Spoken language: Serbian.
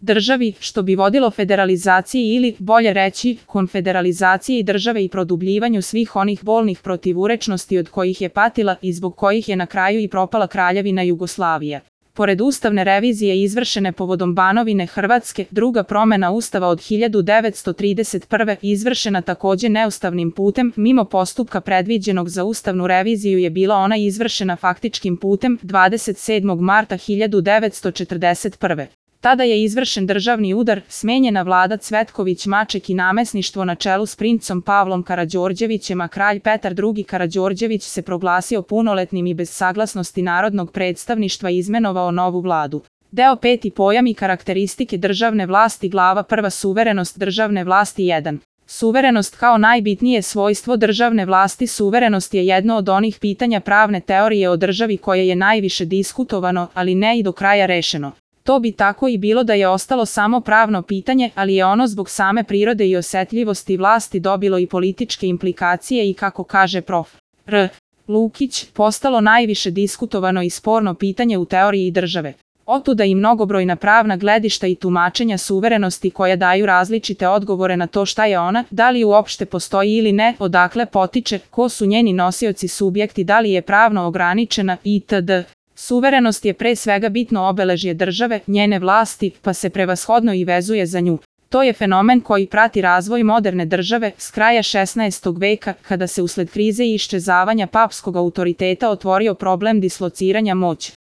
državi, što bi vodilo federalizaciji ili, bolje reći, konfederalizaciji države i produbljivanju svih onih bolnih protivurečnosti od kojih je patila i zbog kojih je na kraju i propala Kraljevina Jugoslavija. Pored ustavne revizije izvršene povodom Banovine Hrvatske, druga promena Ustava od 1931. izvršena takođe neustavnim putem, mimo postupka predviđenog za ustavnu reviziju je bila ona izvršena faktičkim putem 27. marta 1941. Tada je izvršen državni udar, smenjena vlada Cvetković-Maček i namesništvo na čelu s princom Pavlom Karađorđevićem, a kralj Petar II. Karađorđević se proglasio punoletnim i bez saglasnosti narodnog predstavništva izmenovao novu vladu. Deo 5. Pojam i karakteristike državne vlasti, glava 1. Suverenost državne vlasti 1. Suverenost kao najbitnije svojstvo državne vlasti. Suverenost je jedno od onih pitanja pravne teorije o državi koje je najviše diskutovano, ali ne i do kraja rešeno. To bi tako i bilo da je ostalo samo pravno pitanje, ali je ono zbog same prirode i osetljivosti vlasti dobilo i političke implikacije i, kako kaže prof. R. Lukić, postalo najviše diskutovano i sporno pitanje u teoriji države. Otuda i mnogobrojna pravna gledišta i tumačenja suverenosti koja daju različite odgovore na to šta je ona, da li uopšte postoji ili ne, odakle potiče, ko su njeni nosioci subjekti, da li je pravno ograničena itd. Suverenost je pre svega bitno obeležje države, njene vlasti, pa se prevashodno i vezuje za nju. To je fenomen koji prati razvoj moderne države s kraja 16. veka, kada se usled krize i iščezavanja papskog autoriteta otvorio problem dislociranja moći.